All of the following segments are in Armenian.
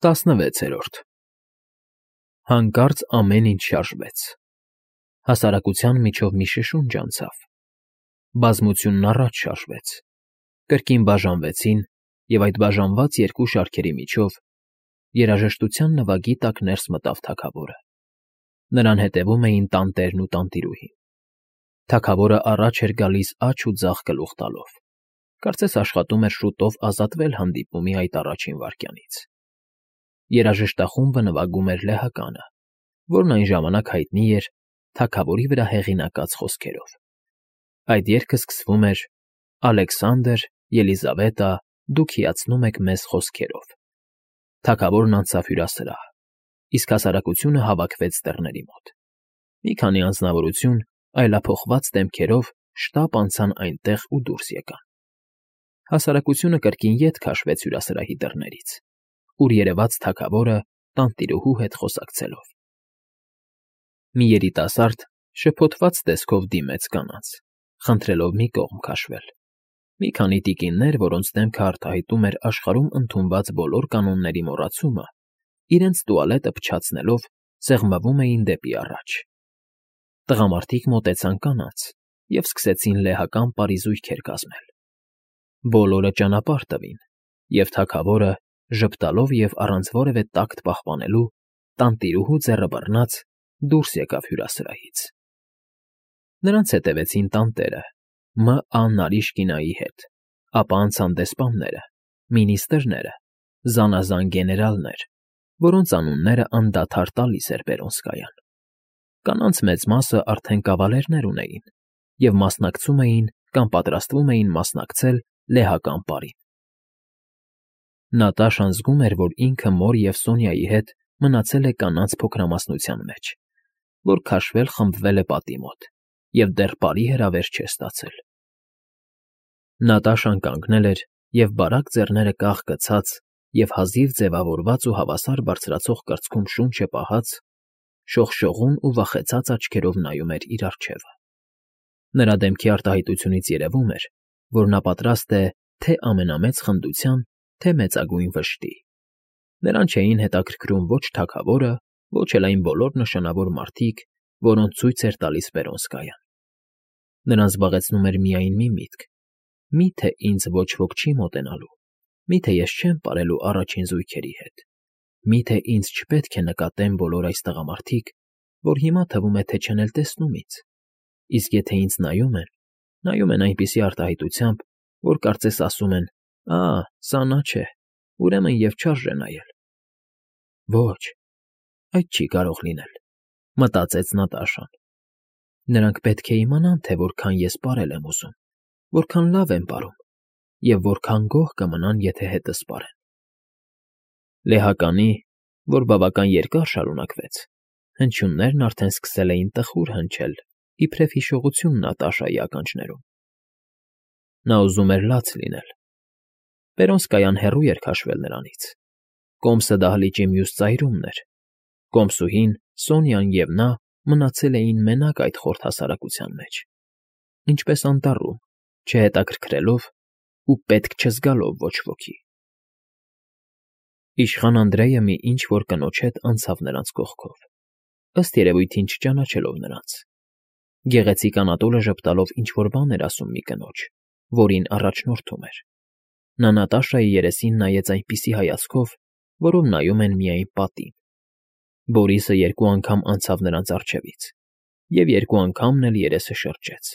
16-րդ Հանկարծ ամեն ինչ շարժվեց։ Հասարակության միջով մի շշունջ անցավ։ Բազմությունն առաջ շարժվեց։ Կրկին բաժանվեցին, և այդ բաժանված երկու շարքերի միջով երաժշտության նվագի տակ ներս մտավ թագավորը։ Նրան հետևում էին տանտերն ու տանտիրուհին։ Թագավորը առաջ էր գալիս աջ ու ձախ գլուխ տալով, կարծես աշխատում էր շուտով ազատվել հանդիպումի այդ առաջին վայրկյանից։ Երաժշտախումբը նվագում էր լեհականը, որն այն ժամանակ հայտնի էր թագավորի վրա հեղինակած խոսքերով։ Այդ երգը սկսվում էր «Ալեքսանդր, Ելիզավետա, դուք հիացնում եք մեզ» խոսքերով։ Թագավորն անցավ հյուրասրահ, իսկ հասարակությունը հավաքվեց դռների մոտ։ Մի քանի անձնավորություն այլափոխված դեմքերով շտապ անցան այնտեղ ու դուրս եկան։ Հասարակությունը կրկին ետ քաշվեց հյուրասրահի դռներից, ուր երևաց թագավորը տանտիրուհու հետ խոսակցելով։ Մի երիտասարդ շփոթված տեսքով դիմեց կանանց, խնդրելով մի կողմ քաշվել։ Մի քանի տիկիններ, որոնց դեմքը արտահայտում էր աշխարհում ընդունված բոլոր կանոնների մոռացումը, իրենց տուալետը փչացնելով սեղմվում էին դեպի առաջ։ Տղամարդիկ մոտեցան կանանց և սկսեցին լեհական պարիզույքեր կազմել։ Բոլորը ճանապարհ տվին, և թագավորը, ժպտալով և առանց որևէ տակտ պահպանելու, տանտիրուհու ձեռը բռնած դուրս եկավ հյուրասրահից։ Նրանց հետևեցին տանտերը Մ.Ա. հետ, ապա անցան դեսպանները, մինիստրները, զանազան գեներալներ, որոնց անունները անդադար տալիս էր Պերոնսկայան։ Կանանց մեծ մասը արդեն կավալերներ ունեին և մասնակցում էին կամ պատրաստվում էին մասնակցել լեհական պարին։ Նատաշան զգում էր, որ ինքը մոր և Սոնյայի հետ մնացել է կանանց փոքրամասնության մեջ, որ քաշվել֊խմբվել է պատի մոտ և դեռ պարի հրավեր չէ ստացել։ Նատաշան կանգնել էր և բարակ ձեռները կախ գցած և հազիվ ձևավորված ու հավասար բարձրացող կրծքում շունչը պահած, շողշողուն ու վախեցած աչքերով նայում էր իր առջևը։ Նրա դեմքի արտահայտությունից երևում էր, որ նա պատրաստ է թե՛ ամենամեծ խնդության, թե՛ մեծագույն վշտի։ Նրան չէին հետաքրքրում ոչ թագավորը, ոչ էլ այն բոլոր նշանավոր մարդիկ, որոնց ցույց էր տալիս Պերոնսկայան։ Նրան զբաղեցնում էր միայն մի միտք. մի՞թե ինձ ոչ ոք չի մոտենալու, մի՞թե ես չեմ պարելու առաջին զույգերի հետ, մի՞թե ինձ չպետք է նկատեն բոլոր այս տղամարդիկ, որ հիմա թվում է, թե չեն էլ տեսնում ինձ, իսկ եթե ինձ նայում են այնպիսի արտահայտությամբ, որ կարծես ասում են. «Ա, սա նա չէ, ուրեմն և չարժե նայել»։ Ոչ, այդ չի կարող լինել, մտածեց Նատաշան։ Նրանք պետք է իմանան, թե որքան ես պարել եմ ուզում, որքան լավ եմ պարում և որքան գոհ կմնան, եթե հետս պարեն։ Լեհականի, որ բավական երկար շարունակվեց, հնչյուններն արդեն սկսել էին տխուր հնչել, իբրև հիշողություն Նատաշայի ականջներում։ Նա ուզում էր լաց լինել։ Պերոնսկայան հեռու էր քաշվել նրանից։ Կոմսը դահլիճի մյուս ծայրումն էր։ Կոմսուհին, Սոնյան և նա մնացել էին մենակ այդ խորթ հասարակության մեջ, ինչպես անտառում, չհետաքրքրելով ու պետք չզգալով ոչ ոքի։ Իշխան Անդրեյը մի ինչ֊որ կնոջ հետ անցավ նրանց կողքով, ըստ երևույթին չճանաչելով նրանց։ Գեղեցիկ Անատոլը ժպտալով ինչ֊որ բան էր ասում մի կնոջ, որին առաջնորդում էր։ Նա Նատաշայի երեսին նայեց այնպիսի հայացքով, որով նայում են միայն պատին։ Բորիսը երկու անգամ անցավ նրանց առջևից և երկու անգամն էլ երեսը շրջեց։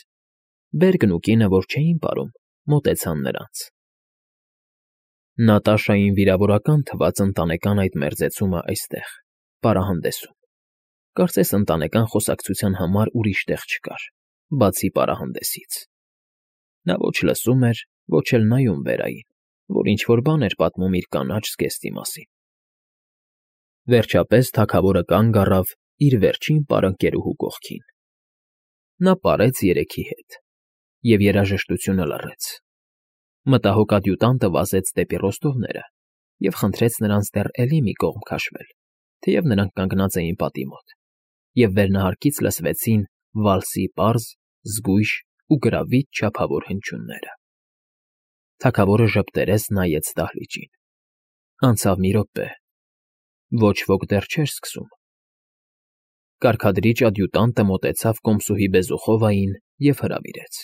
Բերգն ու կինը, որ չէին պարում, մոտեցան նրանց։ Նատաշային վիրավորական թվաց ընտանեկան այդ մերձեցումը այստեղ, պարահանդեսում։ Կարծես ընտանեկան խոսակցության համար ուրիշ տեղ չկար, բացի պարահանդեսից։ Նա ոչ լսում էր, ոչ էլ նայում վերային, որ ինչ֊որ բան էր պատմում իր կանաչ զգեստի մասին։ Վերջապես թագավորը կանգ առավ իր վերջին պարընկերուհու կողքին։ Նա պարեց երեքի հետ, և երաժշտությունը լռեց։ Մտահոգ ադյուտանտը վազեց դեպի ռոստովները և խնդրեց նրանց դեռ էլի մի կողմ քաշվել, թեև նրանք կանգնած էին պատի մոտ, և վերնահարկից լսվեցին վալսի պարզ, զգույշ ու գրավիչ չափավոր հնչյունները։ Թագավորը ժպտերես նայեց դահլիճին։ Անցավ մի րոպե, Ոչ ոք դեռ չէր սկսում։ Կարգադրիչ ադյուտանտը մոտեցավ կոմսուհի Բեզուխովային և հրավիրեց։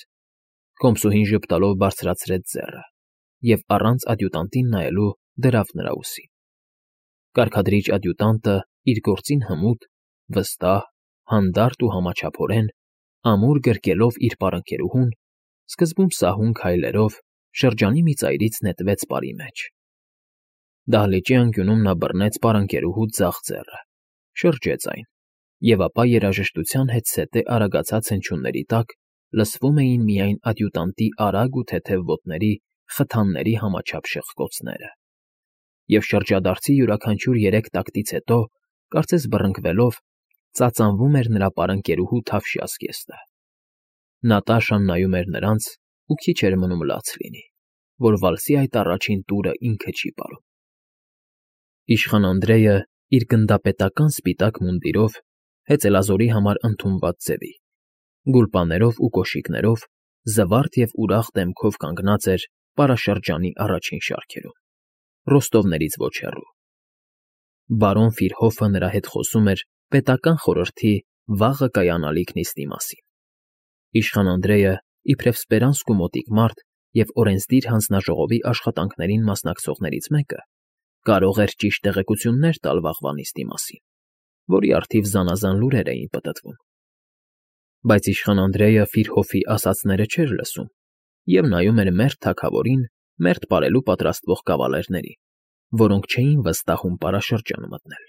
Կոմսուհին ժպտալով բարձրացրեց ձեռը և առանց ադյուտանտին նայելու դրավ նրա ուսին։ Կարգադրիչ ադյուտանտը իր գործին հմուտ, վստահ, հանդարտ ու համաչափորեն, ամուր գրկելով իր պարանքերուհուն, սկզբում սահուն քայլերով շրջանի մի ծայրից նետվեց պարի մեջ։ Դահլիճի անկյունում նա բռնեց պարանքերուհու ձախ ձեռը, շրջեց այն, և ապա երաժշտության հետսետե արագացած հնչյունների տակ լսվում էին միայն ադյուտանտի արագ ու թեթև ոտների խթանների համաչափ շրխկոցները։ Եվ շրջադարձի յուրաքանչյուր 3 տակտից հետո, կարծես բռնկվելով, ծածանվում էր նրա պարանքերուհու թավշյա զգեստը։ Նատաշան նայում էր նրանց ու քիչ էր մնում լաց լինի, որ վալսի այդ առաջին տուրը ինքը չի պարում։ Իշխան Անդրեյը իր գնդապետական սպիտակ մունդիրով, հեծելազորի համար ընդունված ձևի, գուլպաներով ու կոշիկներով, զվարթ և ուրախ դեմքով կանգնած էր պարաշրջանի առաջին շարքերում, ռոստովներից ոչ հեռու։ Բարոն Ֆիրհոֆը նրա հետ խոսում էր պետական խորհրդի վաղը կայանալիք նիստի մասին։ Իշխան Անդրեյը, իբրև Սպերանսկու մոտիկ մարդ և օրենսդիր հանձնաժողովի աշխատանքներին մասնակցողներից մեկը, կարող էր ճիշտ տեղեկություններ տալ վաղվա նիստի մասին, որի առթիվ զանազան լուրեր էին պտտվում։ Բայց իշխան Անդրեյը Ֆիրհոֆի ասածները չէր լսում և նայում էր մերթ թագավորին մերթ պարելու պատրաստվող կավալերներին, որոնք չէին վստահում պարաշրջան մտնել։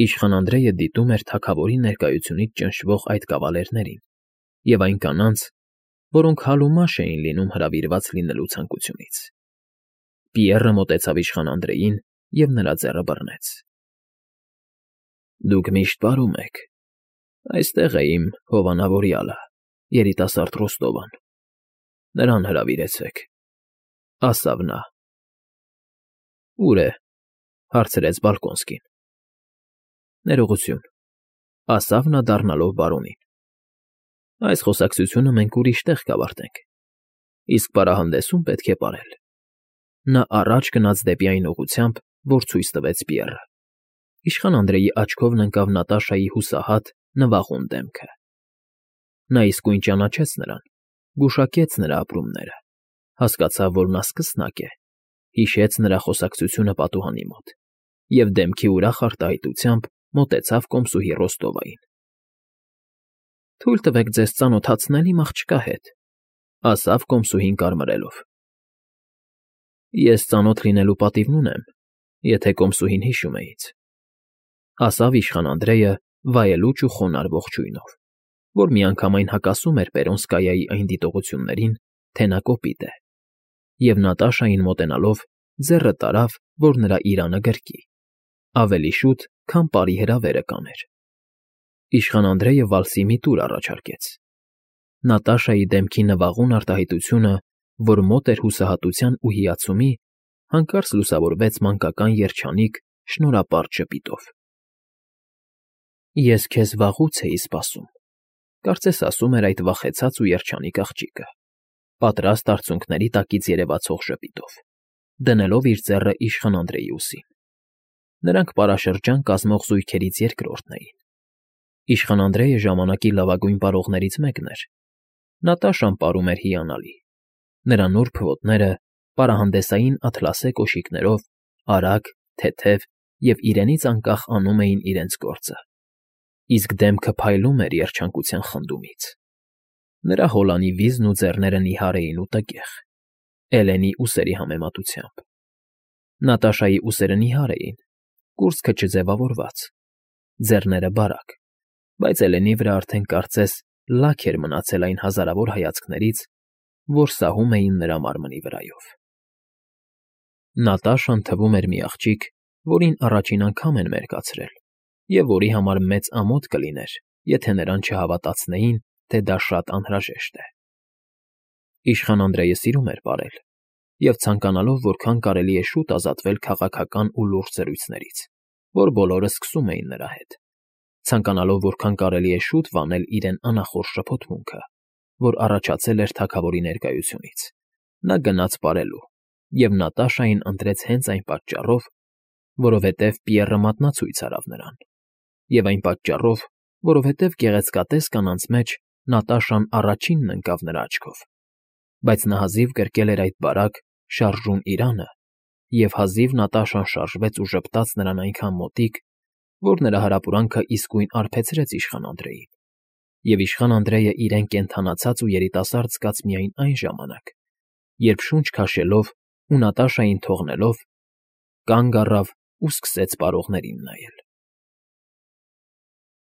Իշխան Անդրեյը դիտում էր թագավորի ներկայությունից ճնշվող այդ կավալերներին և այն կանանց, որոնք հալումաշ էին լինում հրավիրված լինելու ցանկությունից։ Պիեռը մոտեցավ իշխան Անդրեյին և նրա ձեռը բռնեց։ Դուք միշտ պարում եք։ Այստեղ է իմ հովանավորյալը, երիտասարդ Ռոստովան։ Նրան հրավիրեցեք, ասավ նա։ Ո՞ւր է,֊ հարցրեց Բալկոնսկին։ Ներողություն,֊ ասավ նա դառնալով բարոնին։ Այս խոսակցությունը մենք ուրիշ տեղ կավարտենք, իսկ պարահանդեսում պետք է պարել։ Նա առաջ գնաց դեպի այն ուղղությամբ, որ ցույց տվեց Պիեռը։ Իշխան Անդրեյի աչքովն ընկավ Նատաշայի հուսահատ, նվաղուն դեմքը։ Նա իսկույն ճանաչեց նրան, գուշակեց նրա ապրումները, հասկացավ, որ նա սկսնակ է, հիշեց նրա խոսակցությունը պատուհանի մոտ և դեմքի ուրախ արտահայտությամբ մոտեցավ կոմսուհի Ռոստովային։ Թույլ տվեք ձեզ ծանոթացնել իմ աղջկա հետ,֊ ասավ կոմսուհին կարմրելով։ Ես ծանոթ լինելու պատիվն ունեմ, եթե կոմսուհին հիշում է ինձ,֊ ասավ իշխան Անդրեյը վայելուչ ու խոնարհ ողջույնով, որ միանգամայն հակասում էր Պերոնսկայայի այն դիտողություններին, թե նա կոպիտ է, և Նատաշային մոտենալով ձեռը տարավ, որ նրա իրանը գրկի, ավելի շուտ, քան պարի հրավերը կաներ։ Իշխան Անդրեյը վալսի մի տուր առաջարկեց։ Նատաշայի դեմքի նվաղուն արտահայտությունը, որ մոտ էր հուսահատության ու հիացումի, հանկարծ լուսավորվեց մանկական երջանիկ, շնորհապարտ ժպիտով։ Ես քեզ վաղուց էի սպասում,֊ կարծես ասում էր այդ վախեցած ու երջանիկ աղջիկը, պատրաստ արցունքների տակից երևացող ժպիտով, դնելով իր ձեռը իշխան Անդրեյի ուսին։ Նրանք պարաշրջան կազմող զույգերից երկրորդն էին։ Իշխան Անդրեյը ժամանակի լավագույն պարողներից մեկն էր։ Նատաշան պարում էր հիանալի։ Նրա նուրբ ոտները պարահանդեսային աթլասե կոշիկներով արագ, թեթև և իրենից անկախ անում էին իրենց գործը, իսկ դեմքը փայլում էր երջանկության խնդումից։ Նրա հոլանի վիզն ու ձեռները նիհար էին ու տգեղ, Էլենի ուսերի համեմատությամբ։ Նատաշայի ուսերը նիհար էին, կուրծքը չձևավորված, ձեռները բարակ, բայց Էլենի վրա արդեն կարծես լաք էր մնացել այն հազարավոր հայացքներից, որ սահում էին նրա մարմնի վրայով։ Նատաշան թվում էր մի աղջիկ, որին առաջին անգամ են մերկացրել, և որի համար մեծ ամոթ կլիներ, եթե նրան չհավատացնեին, թե դա շատ անհրաժեշտ է։ Իշխան Անդրեյը սիրում էր պարել և ցանկանալով որքան կարելի է շուտ ազատվել քաղաքական ու լուրջ զրույցներից, որ բոլորը սկսում էին նրա հետ, ցանկանալով որքան կարելի է շուտ վանել իրեն անախորժ շփոթմունքը, որ առաջացել էր թագավորի ներկայությունից, նա գնաց պարելու և Նատաշային ընտրեց հենց այն պատճառով, որովհետև Պիեռը մատնացույց արավ նրան, և այն պատճառով, որովհետև գեղեցկատես կանանց մեջ Նատաշան առաջինն ընկավ նրա աչքով, բայց նա հազիվ գրկել էր այդ բարակ, շարժուն իրանը, և հազիվ Նատաշան շարժվեց ու ժպտաց նրան այնքան մոտիկ, որ նրա հրապուրանքը իսկույն արբեցրեց իշխան Անդրեին, և իշխան Անդրեյը իրեն կենդանացած ու երիտասարդ զգաց միայն այն ժամանակ, երբ շունչ քաշելով ու Նատաշային թողնելով, կանգ առավ ու սկսեց պարողներին նայել։